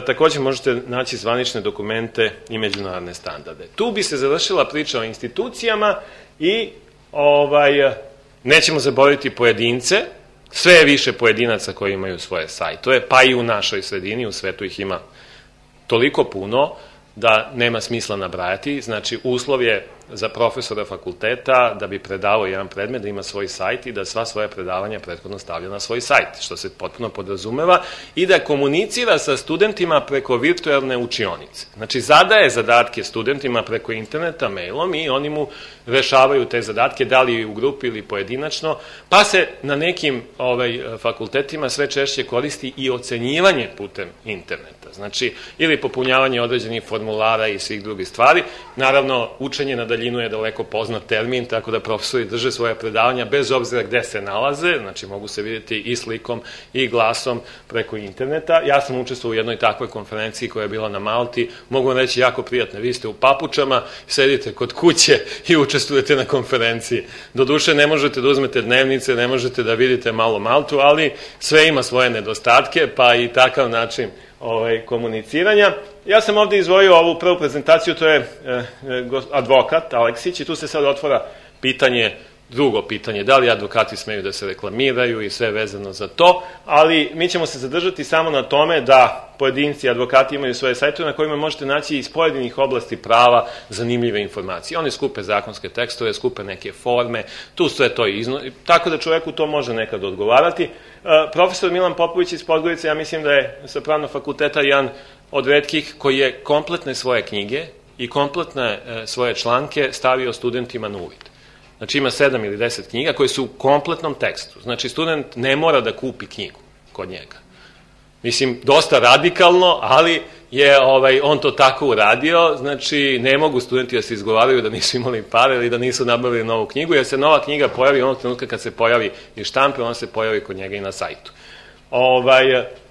takođe možete naći zvanične dokumente i međunarodne standarde. Tu bi se završila priča o institucijama i ovaj, nećemo zaboraviti pojedince, sve je više pojedinaca koji imaju svoje sajtove, pa i u našoj sredini, u svetu ih ima toliko puno da nema smisla nabrajati. Znači, uslov je za profesora fakulteta da bi predavao jedan predmet, da ima svoj sajt i da sva svoja predavanja prethodno stavlja na svoj sajt, što se potpuno podrazumeva, i da komunicira sa studentima preko virtualne učionice. Znači, zadaje zadatke studentima preko interneta, mailom, i oni mu rešavaju te zadatke, da li u grupi ili pojedinačno, pa se na nekim ovaj, fakultetima sve češće koristi i ocenjivanje putem interneta. Znači, ili popunjavanje određenih formulara i svih drugih stvari. Naravno, učenje na daljinu je daleko poznat termin, tako da profesori drže svoje predavanja bez obzira gde se nalaze, znači mogu se vidjeti i slikom i glasom preko interneta. Ja sam učestvovao u jednoj takvoj konferenciji koja je bila na Malti, mogu vam reći jako prijatno, vi ste u papučama, sedite kod kuće i učestvujete na konferenciji. Doduše, ne možete da uzmete dnevnice, ne možete da vidite malo Maltu, ali sve ima svoje nedostatke, pa i takav način ovaj, komuniciranja. Ja sam ovde izvojio ovu prvu prezentaciju, to je e, e, advokat Aleksić, i tu se sad otvara pitanje, drugo pitanje, da li advokati smeju da se reklamiraju i sve vezano za to, ali mi ćemo se zadržati samo na tome da pojedinci, advokati imaju svoje sajtove na kojima možete naći iz pojedinih oblasti prava zanimljive informacije. Oni skupe zakonske tekstove, skupe neke forme, tu sve to izno... tako da čoveku to može nekad odgovarati. E, profesor Milan Popović iz Podgorice, ja mislim da je sa pravnog fakulteta jedan od retkih koji je kompletne svoje knjige i kompletne e, svoje članke stavio studentima na uvid. Znači ima sedam ili deset knjiga koje su u kompletnom tekstu. Znači student ne mora da kupi knjigu kod njega. Mislim, dosta radikalno, ali je ovaj, on to tako uradio, znači ne mogu studenti da se izgovaraju da nisu imali pare ili da nisu nabavili novu knjigu, jer se nova knjiga pojavi onog trenutka kad se pojavi i štampe, ona se pojavi kod njega i na sajtu. Ovaj,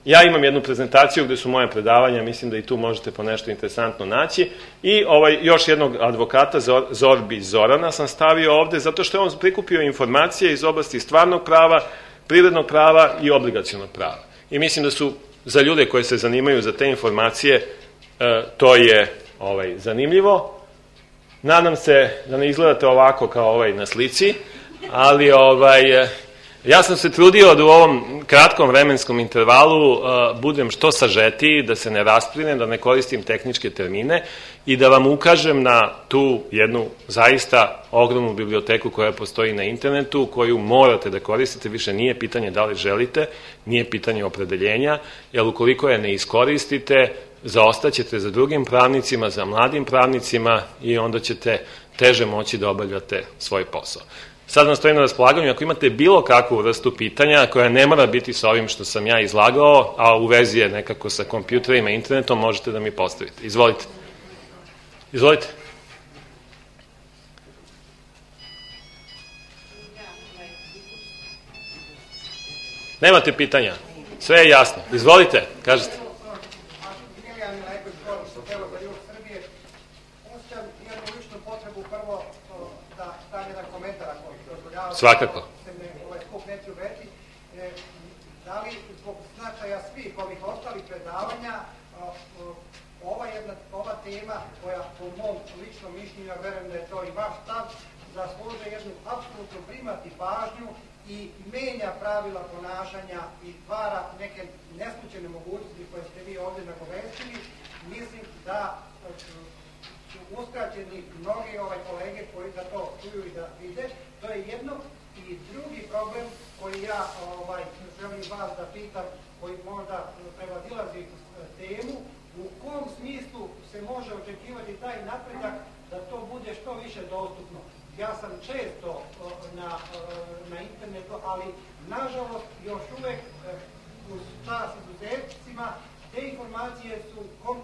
ja imam jednu prezentaciju gde su moje predavanja, mislim da i tu možete po nešto interesantno naći, i ovaj, još jednog advokata, Zorbi Zorana, sam stavio ovde, zato što je on prikupio informacije iz oblasti stvarnog prava, privrednog prava i obligacionog prava. I mislim da su za ljude koji se zanimaju za te informacije, to je ovaj, zanimljivo. Nadam se da ne izgledate ovako kao ovaj na slici, ali ovaj, ja sam se trudio da u ovom kratkom vremenskom intervalu uh, budem što sažetiji, da se ne rasplinem, da ne koristim tehničke termine i da vam ukažem na tu jednu zaista ogromnu biblioteku koja postoji na internetu, koju morate da koristite, više nije pitanje da li želite, nije pitanje opredeljenja, jer ukoliko je ne iskoristite, zaostaćete za drugim pravnicima, za mladim pravnicima i onda ćete teže moći da obavljate svoj posao. Sad vam stojim na raspolaganju, ako imate bilo kakvu vrstu pitanja koja ne mora biti sa ovim što sam ja izlagao, a u vezi je nekako sa kompjuterima i internetom, možete da mi postavite. Izvolite. Izvolite. Nemate pitanja? Sve je jasno. Izvolite, kažete. Svakako. Da li zbog značaja svih ovih ostalih predavanja ova, jedna, ova tema koja po mom ličnom mišljenju, ja verujem da je to i vaš stav, zasluže jednu apsolutnu primati pažnju i menja pravila ponašanja i stvara neke neslučajne mogućnosti koje ste vi ovde nagovestili. Mislim da su uskraćeni mnogi ovaj kolege koji da to čuju i da vide. To je jedno. I drugi problem koji ja ovaj, želim vas da pitam, koji možda prevadilazi temu, u kom smislu se može očekivati taj napredak da to bude što više dostupno. Ja sam često na, na internetu, ali nažalost još uvek uz čast izuzetcima te informacije su,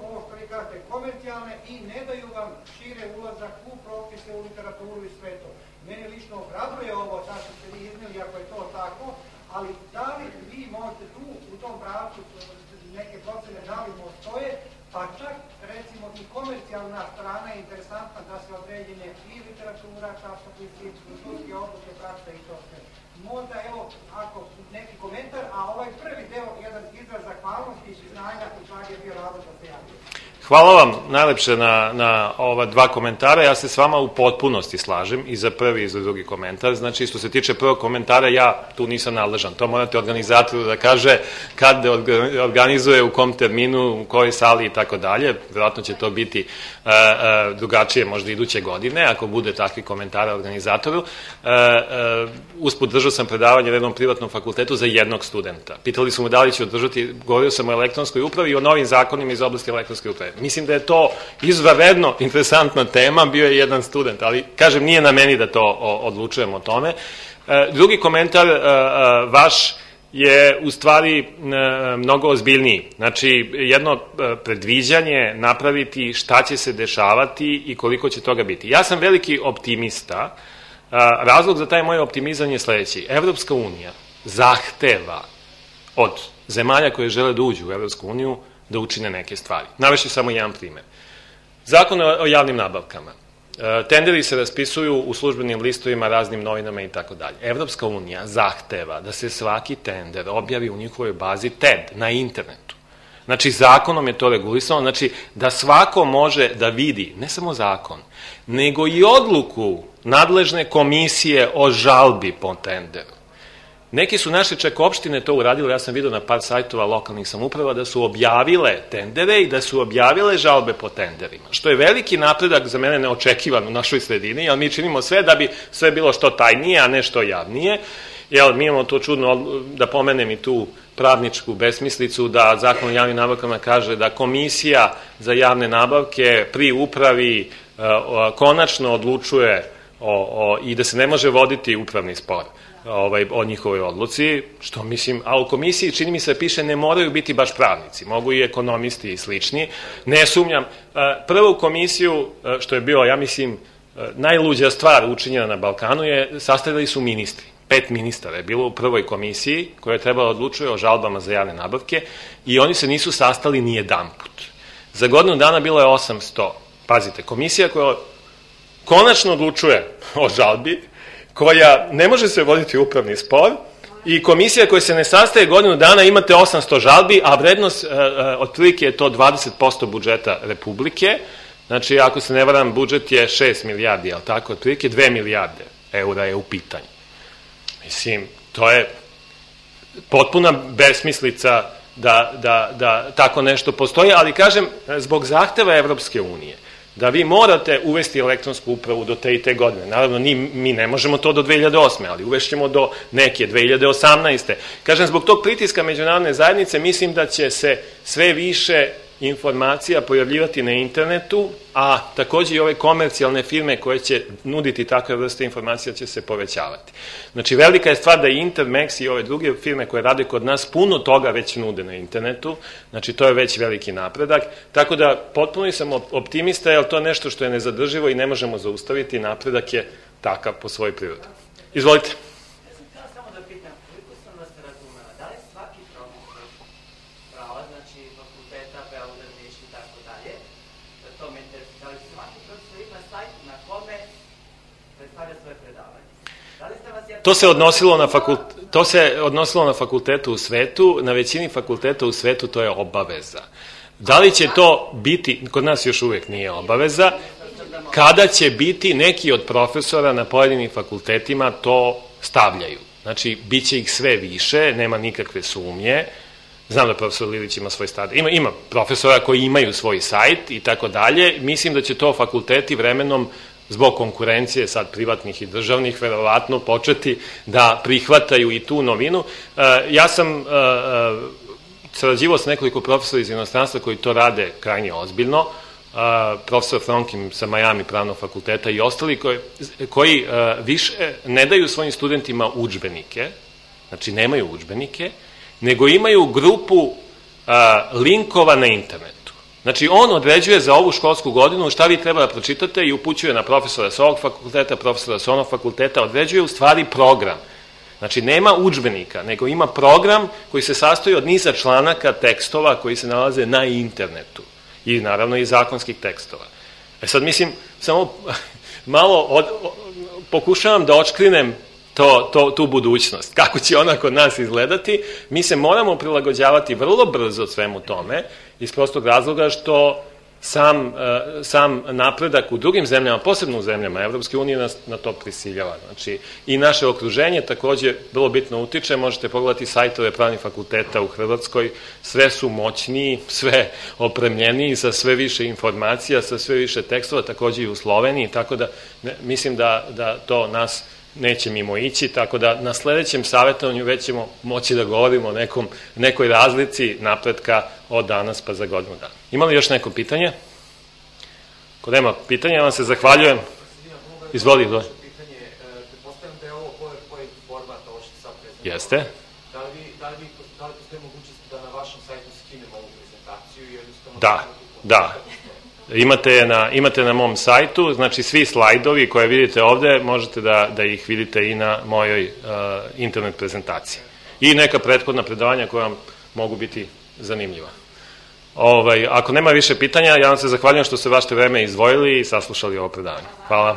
ovo što vi kažete, komercijalne i ne daju vam šire ulazak u propise, u literaturu i sve to. Mene lično ohrabruje ovo, tako što ste vi izneli, ako je to tako, ali da li vi možete tu, u tom pravcu, neke procene da li postoje, pa čak, recimo, i komercijalna strana je interesantna da se određene i literatura, časopisi, sudske odluke, praksa i to sve. Možda, evo, ako neki komentar, a ovaj prvi deo, jedan izraz zahvalnosti i znanja, u čak je bio razlog da se javio. Hvala vam najlepše na, na ova dva komentara. Ja se s vama u potpunosti slažem i za prvi i za drugi komentar. Znači, što se tiče prvog komentara, ja tu nisam nadležan. To morate organizatoru da kaže kad organizuje, u kom terminu, u kojoj sali i tako dalje. Vjerojatno će to biti uh, uh, drugačije možda iduće godine, ako bude takvi komentara organizatoru. Uh, uh, usput držao sam predavanje na jednom privatnom fakultetu za jednog studenta. Pitali su mu da li će održati, govorio sam o elektronskoj upravi i o novim zakonima iz oblasti elektronske uprave. Mislim da je to izvanredno interesantna tema, bio je jedan student, ali kažem, nije na meni da to odlučujem o tome. Drugi komentar vaš je u stvari mnogo ozbiljniji. Znači, jedno predviđanje napraviti šta će se dešavati i koliko će toga biti. Ja sam veliki optimista. Razlog za taj moj optimizam je sledeći. Evropska unija zahteva od zemalja koje žele da uđu u Evropsku uniju da učine neke stvari. Navešću samo jedan primer. Zakon o javnim nabavkama. Tenderi se raspisuju u službenim listovima, raznim novinama i tako dalje. Evropska unija zahteva da se svaki tender objavi u njihovoj bazi T E D na internetu. Znači, zakonom je to regulisano, znači da svako može da vidi, ne samo zakon, nego i odluku nadležne komisije o žalbi po tenderu. Neki su naše čak opštine to uradile, ja sam vidio na par sajtova lokalnih samouprava da su objavile tendere i da su objavile žalbe po tenderima, što je veliki napredak za mene neočekivan u našoj sredini, jer mi činimo sve da bi sve bilo što tajnije, a ne što javnije. Jel, mi imamo to čudno, da pomenem i tu pravničku besmislicu, da Zakon o javnim nabavkama kaže da komisija za javne nabavke pri upravi konačno odlučuje o, o, i da se ne može voditi upravni spor. ovaj, o njihovoj odluci, što mislim, a u komisiji čini mi se piše ne moraju biti baš pravnici, mogu i ekonomisti i slični, ne sumnjam. Prvu komisiju, što je bilo, ja mislim, najluđa stvar učinjena na Balkanu je, sastavili su ministri. Pet ministara je bilo u prvoj komisiji koja je trebala odlučuje o žalbama za javne nabavke i oni se nisu sastali ni jedan put. Za godinu dana bilo je osamsto, pazite, komisija koja konačno odlučuje o žalbi, koja ne može se voditi upravni spor i komisija koja se ne sastaje godinu dana, imate osamsto žalbi, a vrednost otprilike je to dvadeset posto budžeta Republike. Znači, ako se ne varam, budžet je šest milijardi, ali tako, otprilike dve milijarde eura je u pitanju. Mislim, to je potpuna besmislica da, da, da tako nešto postoji, ali kažem, zbog zahteva Evropske unije, da vi morate uvesti elektronsku upravu do te i te godine. Naravno, ni, mi ne možemo to do dve hiljade osme. ali uvešćemo do neke dve hiljade osamnaeste. Kažem, zbog tog pritiska međunarodne zajednice, mislim da će se sve više informacija pojavljivati na internetu, a takođe i ove komercijalne firme koje će nuditi takve vrste informacija će se povećavati. Znači, velika je stvar da i Intermex i ove druge firme koje rade kod nas puno toga već nude na internetu, znači to je već veliki napredak, tako da potpuno sam optimista, jer to je nešto što je nezadrživo i ne možemo zaustaviti, napredak je takav po svojoj prirodi. Izvolite. To se odnosilo na fakultet, to se odnosilo na fakultetu u svetu, na većini fakulteta u svetu to je obaveza. Da li će to biti, kod nas još uvek nije obaveza, kada će biti neki od profesora na pojedinim fakultetima to stavljaju. Znači, bit će ih sve više, nema nikakve sumnje. Znam da profesor Lilić ima svoj stadion. Ima, ima profesora koji imaju svoj sajt i tako dalje. Mislim da će to fakulteti vremenom zbog konkurencije sad privatnih i državnih, verovatno početi da prihvataju i tu novinu. Ja sam sarađivao s nekoliko profesora iz inostranstva koji to rade krajnje ozbiljno, profesor Fronkim sa Miami pravnog fakulteta i ostali koji, koji više ne daju svojim studentima udžbenike, znači nemaju udžbenike, nego imaju grupu linkova na internetu. Znači, on određuje za ovu školsku godinu šta vi treba da pročitate i upućuje na profesora s ovog fakulteta, profesora s onog fakulteta, određuje u stvari program. Znači, nema udžbenika, nego ima program koji se sastoji od niza članaka, tekstova koji se nalaze na internetu i naravno i zakonskih tekstova. E sad, mislim, samo malo od, pokušavam da očkrinem To, to, tu budućnost. Kako će ona kod nas izgledati, mi se moramo prilagođavati vrlo brzo svemu tome, iz prostog razloga što sam, sam napredak u drugim zemljama, posebno u zemljama Evropske unije, nas na to prisiljava. Znači, i naše okruženje takođe vrlo bitno utiče, možete pogledati sajtove pravnih fakulteta u Hrvatskoj, sve su moćniji, sve opremljeniji, sa sve više informacija, sa sve više tekstova, takođe i u Sloveniji, tako da ne, mislim da, da to nas neće mimo ići, tako da na sledećem savjetovanju već ćemo moći da govorimo o nekom, nekoj razlici napretka od danas pa za godinu dana. Ima li još neko pitanje? Ako nema pitanja, ja vam se zahvaljujem. Izvoli, izvoli. Pretpostavljam da je ovo PowerPoint format, ovo što sad prezentovano. Jeste. Da li postoje mogućnosti da na vašem sajtu skinemo ovu prezentaciju i jednostavno... Da, da. Imate na, imate na mom sajtu, znači svi slajdovi koje vidite ovde, možete da, da ih vidite i na mojoj uh, internet prezentaciji. I neka prethodna predavanja koja vam mogu biti zanimljiva. Ovaj, ako nema više pitanja, ja vam se zahvaljujem što ste vaše vreme izdvojili i saslušali ovo predavanje. Hvala.